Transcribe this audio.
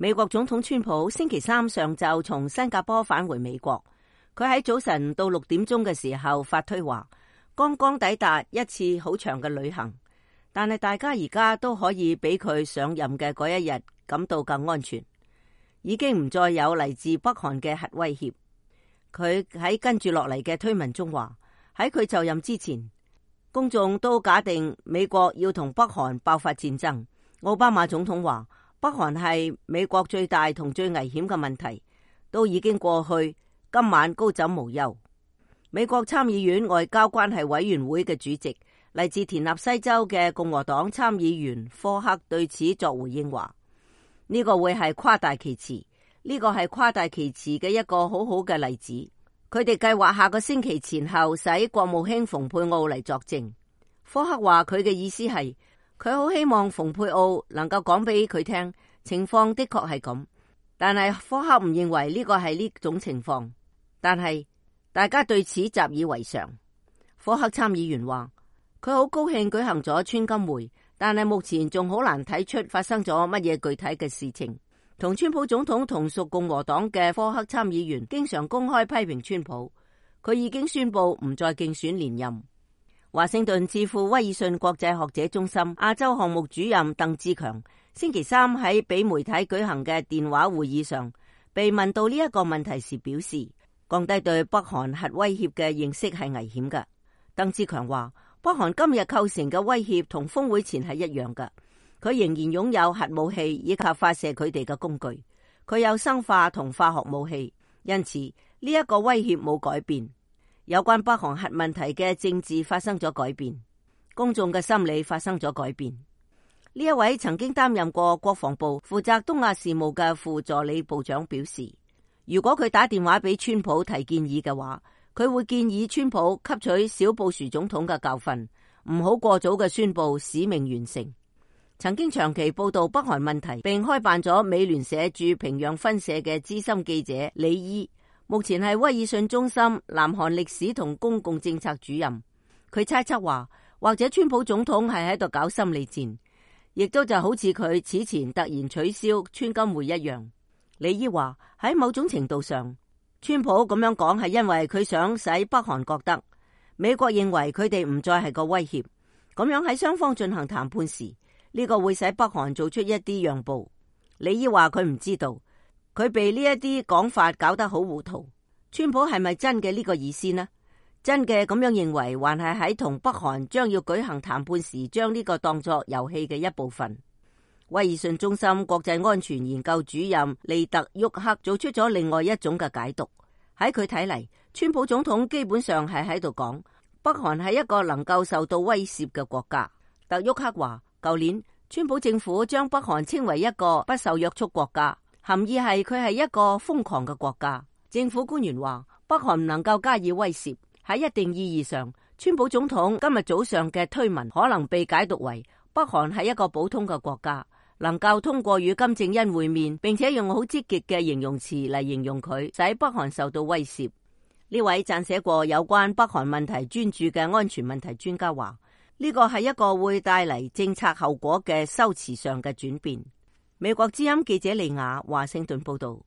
美國總統川普星期三上晝從新加坡返回美國，佢喺早晨到6點鐘嘅時候發推話，剛剛抵達一次好長嘅旅行，但係大家而家都可以比佢上任嘅嗰一日感到更安全，已經唔再有嚟自北韓嘅核威脅。佢喺跟住落嚟嘅推文中話，喺佢就任之前，公眾都假定美國要同北韓爆發戰爭。奧巴馬總統話，北韓係美國最大同最危險嘅問題，都已經過去，今晚高枕無憂。美國參議院外交關係委員會嘅主席，嚟自田納西州嘅共和黨參議員科克對此作回應話，呢個會係誇大其詞，呢個係誇大其詞嘅一個好好嘅例子。佢哋計劃下個星期前後使國務卿蓬佩奧嚟作證。科克話佢嘅意思係，佢好希望蓬佩奧能夠講俾佢聽，情況的確係咁，但係科克唔認為呢個係呢種情況，但係大家對此習以為常。科克參議員話，佢好高興舉行咗川金會，但係目前仲好難睇出發生咗乜嘢具體嘅事情。同川普總統同屬共和黨嘅科克參議員經常公開批評川普，佢已經宣布唔再競選連任。華盛頓智庫威爾遜國際學者中心亞洲項目主任鄧志強星期三喺俾媒體舉行嘅電話會議上，被問到呢一個問題時表示，降低對北韓核威脅嘅認識係危險嘅。鄧志強話，北韓今日構成嘅威脅同峰會前係一樣嘅，佢仍然擁有核武器以及發射佢哋嘅工具，佢有生化同化學武器，因此呢一個威脅冇改變。有關北韓核問題嘅政治發生咗改變，公眾嘅心理發生咗改變。呢一位曾經擔任過國防部負責東亞事務嘅副助理部長表示，如果佢打電話俾川普提建議嘅話，佢會建議川普吸取小布殊總統嘅教訓，唔好過早嘅宣布使命完成。曾經長期報道北韓問題並開辦咗美聯社駐平壤分社嘅資深記者李伊，目前係威爾遜中心南韓歷史同公共政策主任。佢猜測話，或者川普總統係喺度搞心理戰，亦都就好似佢此前突然取消川金會一樣。李伊話，喺某種程度上，川普咁樣講係因為佢想使北韓覺得美國認為佢哋唔再係個威脅，咁樣喺雙方進行談判時，呢個會使北韓做出一啲讓步。李伊話佢唔知道。佢被呢一啲講法搞得好糊塗。川普係咪真嘅呢個意思呢？真嘅咁樣認為，還係喺同北韓將要舉行談判時，將呢個當作遊戲嘅一部分。威爾遜中心國際安全研究主任利特沃克做出咗另外一種嘅解讀。喺佢睇嚟，川普總統基本上係喺度講，北韓係一個能夠受到威懾嘅國家。特沃克話，舊年川普政府將北韓稱為一個不受約束國家。含義係佢係一個瘋狂嘅國家。政府官員話，北韓唔能夠加以威懾。喺一定意義上，川普總統今日早上嘅推文可能被解讀為北韓係一個普通嘅國家，能夠通過與金正恩會面，並且用好積極嘅形容詞嚟形容佢，使北韓受到威懾。呢位撰寫過有關北韓問題專著嘅安全問題專家話，呢個係一個會帶嚟政策後果嘅修辭上嘅轉變。美國之音記者利亞華盛頓報道。